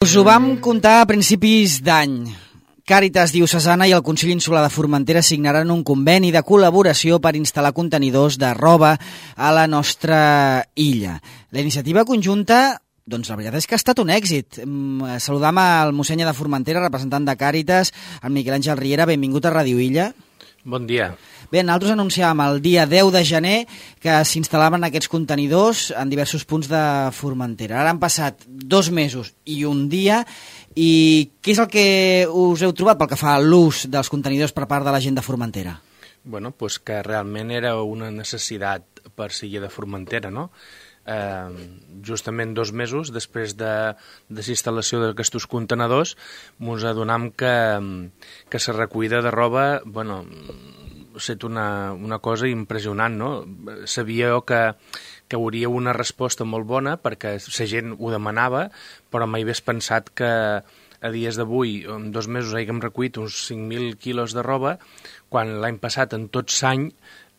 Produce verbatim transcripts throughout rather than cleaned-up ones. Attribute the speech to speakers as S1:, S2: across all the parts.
S1: Us ho vam contar a principis d'any. Càritas Diocesana i el Consell Insular de Formentera signaran un conveni de col·laboració per instal·lar contenidors de roba a la nostra illa. La iniciativa conjunta, doncs la veritat és que ha estat un èxit. Saludam al mossènyer de Formentera, representant de Càritas, el Miquel Àngel Riera. Benvingut a Ràdio Illa.
S2: Bon dia.
S1: Bé, nosaltres anunciàvem el dia deu de gener que s'instal·laven aquests contenidors en diversos punts de Formentera. Ara han passat dos mesos i un dia. I què és el que us heu trobat pel que fa a l'ús dels contenidors per part de la gent de Formentera?
S2: Bueno, pues que realment era una necessitat per l'illa de Formentera, no? Eh, justament dos mesos després de, de la instal·lació d'aquests contenidors ens adonam que, que la recollida de roba, bueno, ha estat una, una cosa impressionant, no? Sabia que, que hauria una resposta molt bona perquè la gent ho demanava, però mai hagués pensat que a dies d'avui, en dos mesos, haguem recollit uns cinc mil quilos de roba, quan l'any passat, en tot l'any,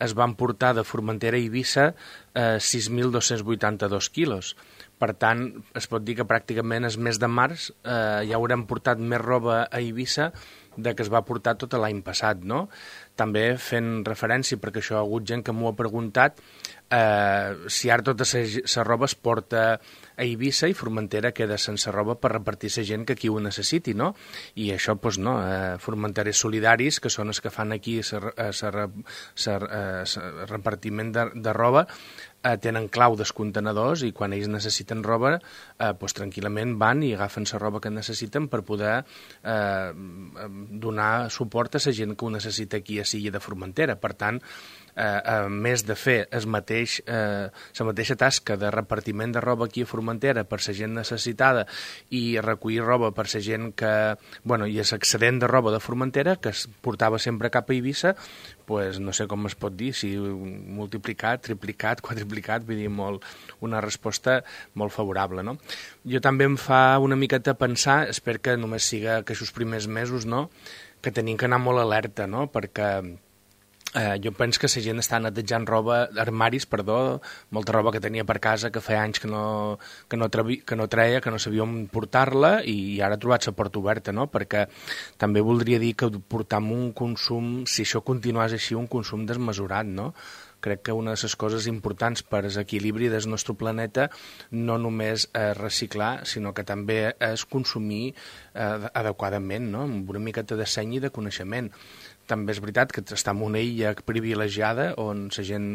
S2: es van portar de Formentera a Eivissa eh, sis mil dos-cents vuitanta-dos quilos. Per tant, es pot dir que pràcticament el mes de març eh, ja haurem portat més roba a Eivissa de que es va portar tot l'any passat, no? També fent referència, perquè això hi ha hagut gent que m'ho ha preguntat, eh, si ara tota la roba es porta a Eivissa i Formentera queda sense roba per repartir la gent que aquí ho necessiti, no? I això, doncs, no, eh, formenteres solidaris, que són els que fan aquí el repartiment de, de roba, eh, tenen clau dels contenidors i quan ells necessiten roba, eh, doncs, tranquil·lament van i agafen la roba que necessiten per poder eh, donar suport a la gent que ho necessita aquí a l'illa de Formentera. Per tant, eh, a més de fer el mateix, eh, la mateixa tasca de repartiment de roba aquí a Formentera per la gent necessitada i recollir roba per la gent que, bueno, i l'excedent de roba de Formentera que es portava sempre cap a Eivissa, pues, no sé com es pot dir, si multiplicat, triplicat, quadriplicat, vull dir, molt, una resposta molt favorable, no? Jo també em fa una miqueta pensar, espero que només siga aquests primers mesos, no?, que tenim que anar molt alerta, no?, perquè Eh, jo penso que la gent està netejant roba, armaris, perdó, molta roba que tenia per casa que feia anys que no, que no, trevi, que no treia, que no sabia on portar-la i ara ha trobat la porta oberta, no? Perquè també voldria dir que portam un consum, si això continués així, un consum desmesurat, no? Crec que una de les coses importants per l'equilibri del nostre planeta no només és reciclar, sinó que també és consumir eh, adequadament, no? Amb una miqueta de seny i de coneixement. També és veritat que està en una illa privilegiada on la gent,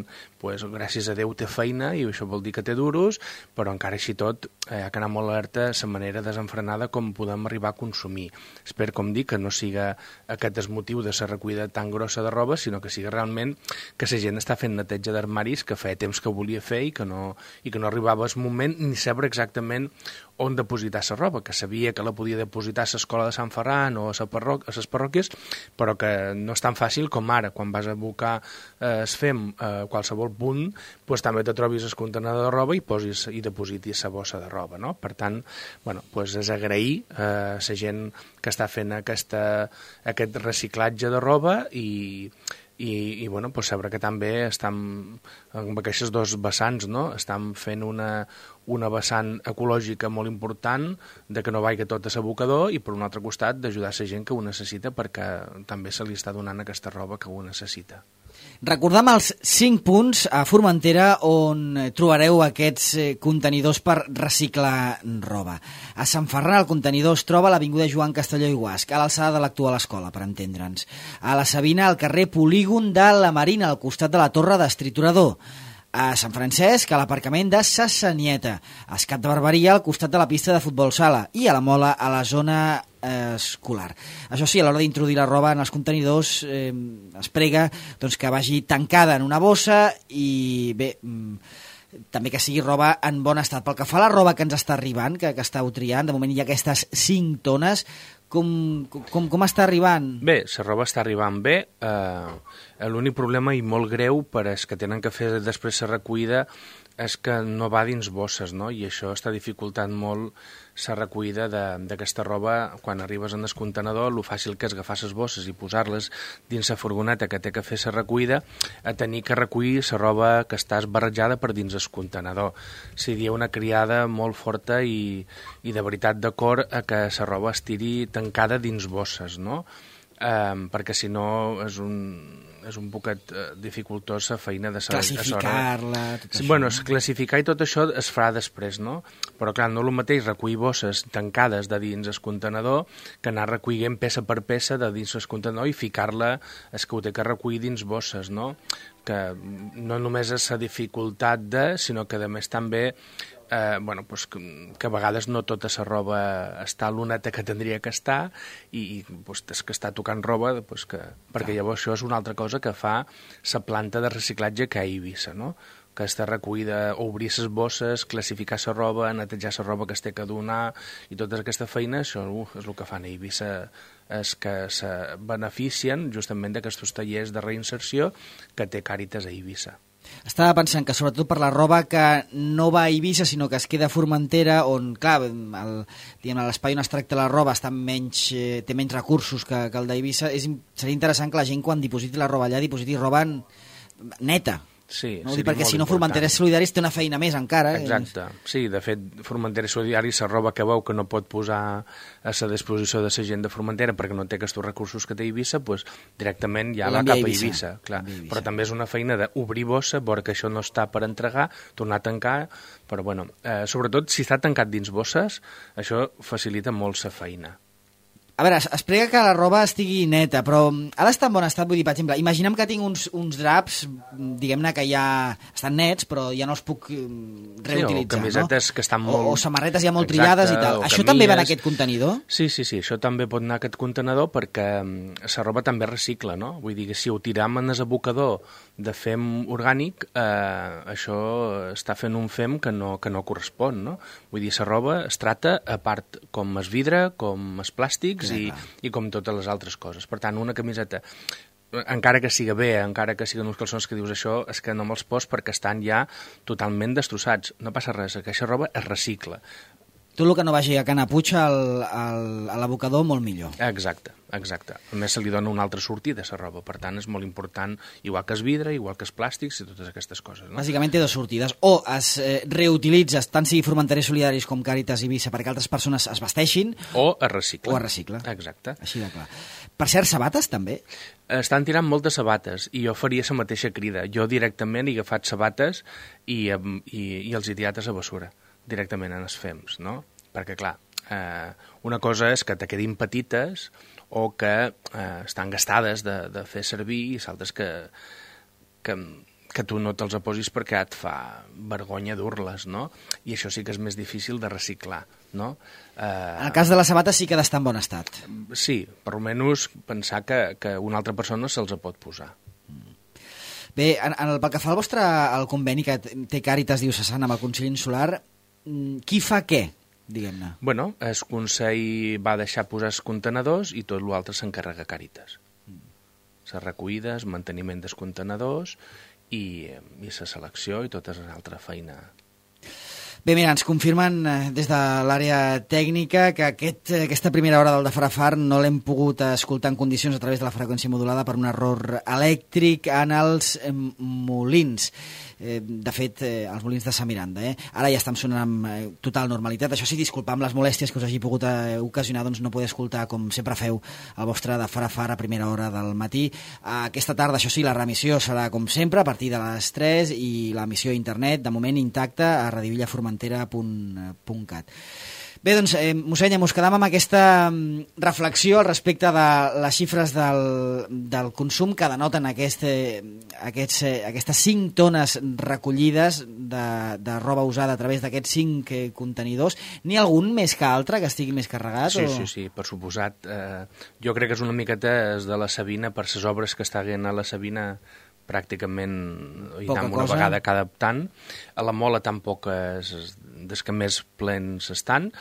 S2: pues, gràcies a Déu, té feina i això vol dir que té duros, però encara així tot eh, ha d'anar molt alerta la manera desenfrenada com podem arribar a consumir. Espero, com dic, que no siga aquest el motiu de la recollida tan grossa de roba, sinó que sigui realment que la gent està fent neteja d'armaris que feia temps que volia fer i que no, i que no arribava el moment ni saber exactament on depositar la roba, que sabia que la podia depositar a l'escola de Sant Ferran o a les parròquies, però que no és tan fàcil com ara, quan vas a buscar eh, es fem a qualsevol punt, pues, també te trobis el contenidor de roba i posis i depositis la bossa de roba, no? Per tant, bueno, pues, és agrair a eh, la gent que està fent aquesta, aquest reciclatge de roba i i, i bueno, pues saber que també estan amb aquests dos vessants, no? Estan fent una, una vessant ecològica molt important de que no vagi tot a l'abocador i per un altre costat d'ajudar la gent que ho necessita perquè també se li està donant aquesta roba que ho necessita.
S1: Recordam els cinc punts a Formentera on trobareu aquests contenidors per reciclar roba. A Sant Ferran el contenidor es troba a l'avinguda Joan Castelló i Guasc, a l'alçada de l'actual escola, per entendre'ns. A la Sabina, al carrer Polígon de la Marina, al costat de la Torre d'Estriturador. A Sant Francesc, a l'aparcament de Sa Sanieta, a Escat de Barberia, al costat de la pista de futbol sala, i a la Mola, a la zona eh, escolar. Això sí, a l'hora d'introduir la roba en els contenidors eh, es prega doncs, que vagi tancada en una bossa i bé, mm, també que sigui roba en bon estat. Pel que fa a la roba que ens està arribant, que, que estàu triant, de moment hi ha aquestes cinc tones, com, com, com està arribant?
S2: Bé, la roba està arribant bé. Eh, l'únic problema i molt greu per als que tenen que fer després la recollida és que no va dins bosses, no? I això està dificultant molt la recollida d'aquesta roba quan arribes en el contenedor, lo fàcil que és agafar les bosses i posar-les dins la furgoneta que té que fer la recollida, a tenir que recollir la roba que està esbarrejada per dins el contenedor. O sigui, hi ha una criada molt forta i, i de veritat d'acord a que la roba estiri tancada dins bosses, no? Um, perquè si no és un, és un poquet uh, dificultós la feina de saber...
S1: Classificar-la, tot
S2: sí,
S1: això.
S2: Bueno, classificar i tot això es farà després, no? Però clar, no és el mateix recollir bosses tancades de dins el contenedor que anar recollint peça per peça de dins el contenedor i ficar-la, és que ho té que recollir dins bosses, no? Que no només és la dificultat de, sinó que a més també Eh, bueno, pues que, que a vegades no tota la roba està a l'oneta que tindria que estar i, i pues, és que està tocant roba pues, que, perquè llavors això és una altra cosa que fa la planta de reciclatge que hi ha a Eivissa, no? Que està recollida, obrir les bosses, classificar la roba, netejar la roba que es té que donar i tota aquesta feina, això uh, és el que fan a Eivissa, és que se beneficien justament d'aquests tallers de reinserció que té Càritas a Eivissa.
S1: Estava pensant que sobretot per la roba que no va a Eivissa sinó que es queda a Formentera, on clar, l'espai on es tracta la roba està menys, eh, té menys recursos que, que el d'Eivissa, seria interessant que la gent quan dipositi la roba allà dipositi roba neta.
S2: Sí,
S1: no? Perquè si no, Formenteres Solidaris té una feina més encara.
S2: Exacte, sí, de fet, Formenteres Solidaris, la roba que veu que no pot posar a la disposició de la gent de Formentera perquè no té aquests recursos que té Eivissa, doncs directament ja va cap a Eivissa. Clar. Però també és una feina d'obrir bossa, veure que això no està per entregar, tornar a tancar, però bueno, eh, sobretot si està tancat dins bosses, això facilita molt la feina.
S1: A veure, es prega que la roba estigui neta, però ha d'estar en bon estat, vull dir, per exemple, imaginem que tinc uns, uns draps, diguem-ne que ja estan nets, però ja no els puc reutilitzar,
S2: sí, o camisetes
S1: no?
S2: que estan molt...
S1: O, o samarretes ja molt Exacte, trillades i tal. Això camies... també va en aquest contenidor?
S2: Sí, sí, sí, això també pot anar a aquest contenedor perquè la roba també recicla, no? Vull dir que si ho tiram en el abocador de fem orgànic, eh, això està fent un fem que no, que no correspon, no? Vull dir, la roba es trata a part com es vidre, com es plàstics, I, i com totes les altres coses. Per tant, una camiseta, encara que siga bé, encara que siguin uns calçons que dius això, és que no me'ls pos perquè estan ja totalment destrossats. No passa res, aquesta roba es recicla.
S1: Tot el que no vagi a Cana Puig al, al, a l'abocador, molt millor.
S2: Exacte, exacte. A més, se li dona una altra sortida a la roba. Per tant, és molt important, igual que es vidre, igual que es plàstics i totes aquestes coses. No?
S1: Bàsicament té dues sortides. O es eh, reutilitza, tant sigui Formenteres Solidaris com Càritas i Eivissa, perquè altres persones es vesteixin.
S2: O es recicla.
S1: O es recicla.
S2: Exacte.
S1: Així de clar. Per cert, sabates també?
S2: Estan tirant moltes sabates i jo faria la mateixa crida. Jo directament he agafat sabates i, i, i els he tirat a la bessura, directament en els fems, no? Perquè, clar, eh, una cosa és que te quedin petites o que eh, estan gastades de, de fer servir i l'altra és que, que, que tu no te'ls posis perquè et fa vergonya dur-les, no? I això sí que és més difícil de reciclar, no? Eh,
S1: en el cas de les sabates sí que ha d'estar en bon estat.
S2: Sí, per almenys pensar que, que una altra persona se'ls pot posar.
S1: Bé, en, en el, pel que fa al vostre al conveni que té Càritas Diocesana amb el Consell Insular, qui fa què? Diguem-ne.
S2: Bueno, el Consell va deixar posar els contenedors i tot l'altre s'encarrega Càritas. Mm. Les recollides, manteniment dels contenedors i, i la selecció i tota la altra feina.
S1: Bé, mira, ens confirmen des de l'àrea tècnica que aquest, aquesta primera hora del de Farafar no l'hem pogut escoltar en condicions a través de la freqüència modulada per un error elèctric en els molins. Eh, de fet, eh, els molins de Sant Miranda. Eh? Ara ja estem sonant amb eh, total normalitat. Això sí, disculpar amb les molèsties que us hagi pogut eh, ocasionar, doncs no poder escoltar, com sempre feu, el vostre de Farafar a primera hora del matí. Eh, aquesta tarda, això sí, la remissió serà com sempre, a partir de les tres, i l'emissió a internet, de moment intacta, a radivillaformentera punt cat. Bé, doncs, eh, mossèn, mos quedam amb aquesta reflexió al respecte de les xifres del, del consum que denoten aquest, eh, aquests, eh, aquestes cinc tones recollides de, de roba usada a través d'aquests cinc eh, contenidors. N'hi ha algun més que altre que estigui més carregat?
S2: Sí,
S1: o...
S2: sí, sí, per suposat. Eh, jo crec que és una miqueta de la Sabina, per les obres que està havent a la Sabina, pràcticament hi anem una vegada cada tant. A la Mola tampoc és des que més plens estan,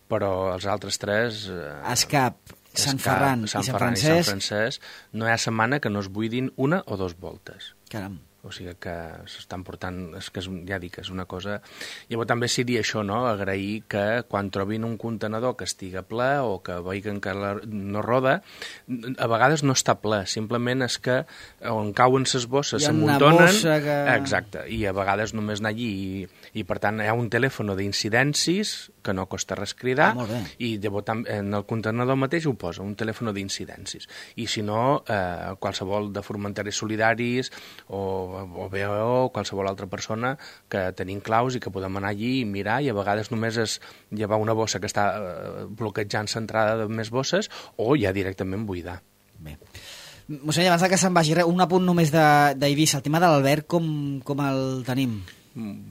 S2: però els altres tres... Eh,
S1: Escap, Sant Ferran,
S2: Sant
S1: i Sant
S2: Ferran
S1: Francesc...
S2: i Sant Francesc, no hi ha setmana que no es buidin una o dos voltes.
S1: Caram.
S2: O sigui que s'estan portant, és que és, ja dic, és una cosa... Llavors també seria això, no?, agrair que quan trobin un contenidor que estigui ple o que vegin que la, no roda, a vegades no està ple, simplement és que on cauen ses bosses s'amuntonen...
S1: Que...
S2: Exacte, i a vegades només anar allí i, i per tant hi ha un telèfon d'incidències que no costa res cridar,
S1: ah,
S2: i llavors en el contenidor mateix ho posa, un telèfon d'incidències. I si no, eh, qualsevol de Formenters Solidaris o, o B O o qualsevol altra persona que tenim claus i que podem anar allí i mirar, i a vegades només és llevar una bossa que està eh, bloquejant l'entrada de més bosses o ja directament buidar.
S1: Bé. Mossèn, abans que se'n vagi, un apunt només d'Eivissa, el tema de l'Alberg, com, com el tenim?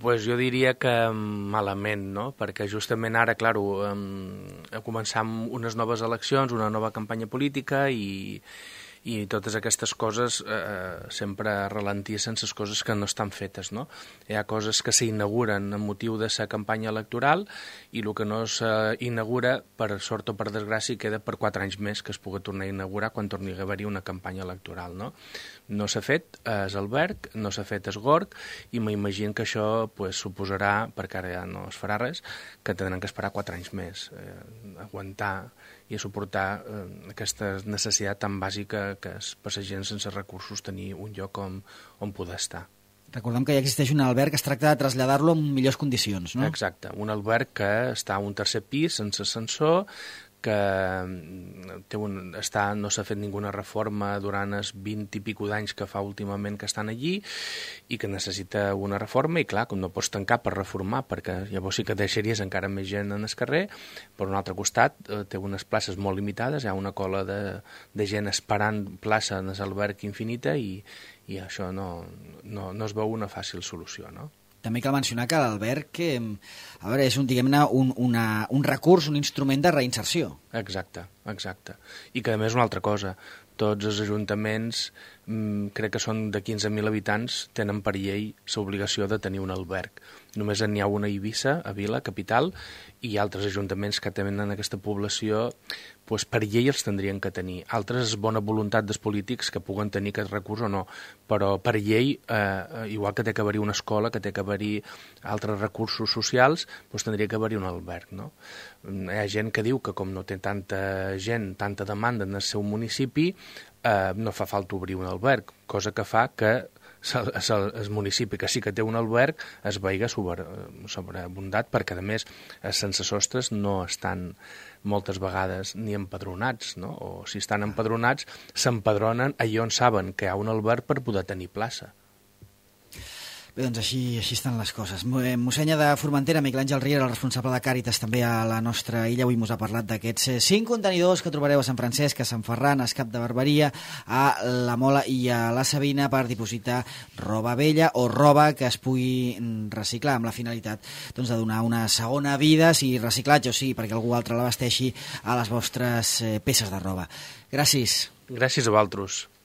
S2: Pues jo diria que malament, no? Perquè justament ara, clar, eh, començam unes noves eleccions, una nova campanya política i, i totes aquestes coses eh, sempre ralentissen les coses que no estan fetes, no? Hi ha coses que s'inauguren amb motiu de la campanya electoral i el que no s'inaugura, per sort o per desgràcia, queda per quatre anys més que es pugui tornar a inaugurar quan torni a haver-hi una campanya electoral, no? No s'ha fet es Alberg, no s'ha fet es Gorg, i m'imagino que això pues, suposarà, perquè ara ja no es farà res, que tindran que esperar quatre anys més, eh, aguantar i a suportar eh, aquesta necessitat tan bàsica que és per la gent sense recursos tenir un lloc on, on poder estar.
S1: Recordem que ja existeix un alberg que es tracta de traslladar-lo en millors condicions, no?
S2: Exacte, un alberg que està a un tercer pis sense ascensor, que té un, està, no s'ha fet ninguna reforma durant els vint i pico d'anys que fa últimament que estan allí i que necessita una reforma i clar, com no pots tancar per reformar perquè llavors sí que deixaries encara més gent en el carrer. Per un altre costat eh, té unes places molt limitades, hi ha una cola de, de gent esperant plaça en l'alberg infinita i, i això no, no, no es veu una fàcil solució, no?
S1: També cal mencionar que l'alberg a veure, és un, diguem-ne, un, una, un recurs, un instrument de reinserció.
S2: Exacte, exacte. I que a més una altra cosa, tots els ajuntaments, mmm, crec que són de quinze mil habitants, tenen per llei l'obligació de tenir un alberg. Només n'hi ha una a Eivissa, a Vila, capital, i altres ajuntaments que tenen aquesta població, doncs per llei els tindrien que tenir. Altres és bona voluntat dels polítics que puguen tenir aquest recurs o no, però per llei, eh, igual que té que haver-hi una escola, que té que haver-hi altres recursos socials, doncs tindria que haver-hi un alberg, no? Hi ha gent que diu que com no té tanta gent, tanta demanda en el seu municipi, eh, no fa falta obrir un alberg, cosa que fa que el municipi que sí que té un alberg es veiga sobre, sobreabundat perquè a més sense sostres no estan moltes vegades ni empadronats, no? O si estan empadronats s'empadronen allà on saben que hi ha un alberg per poder tenir plaça.
S1: Bé, doncs així, així estan les coses. Mossenya de Formentera, Miquel Àngel Riera, el responsable de Càritas també a la nostra illa, avui mos ha parlat d'aquests cinc contenidors que trobareu a Sant Francesc, a Sant Ferran, a Escap de Barberia, a la Mola i a la Sabina per dipositar roba vella o roba que es pugui reciclar amb la finalitat doncs, de donar una segona vida, sigui reciclatge o sigui perquè algú altre l'abasteixi a les vostres peces de roba. Gràcies.
S2: Gràcies a vosaltres.